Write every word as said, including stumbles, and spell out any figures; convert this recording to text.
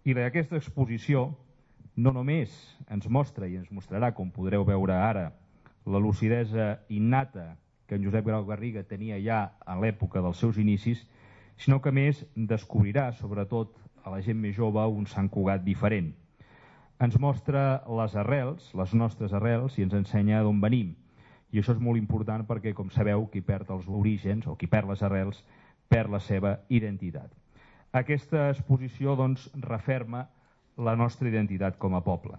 I aquesta exposició no només ens mostra i ens mostrarà, com podreu veure ara, la lucidesa innata que en Josep Grau Garriga tenia ja a l'època dels seus inicis, sinó que a més descobrirà, sobretot a la gent més jove, un Sant Cugat diferent. Ens mostra les arrels, les nostres arrels, i ens ensenya d'on venim. I això és molt important perquè, com sabeu, qui perd els orígens o qui perd les arrels perd la seva identitat. Aquesta exposició, doncs, referma la nostra identitat com a poble.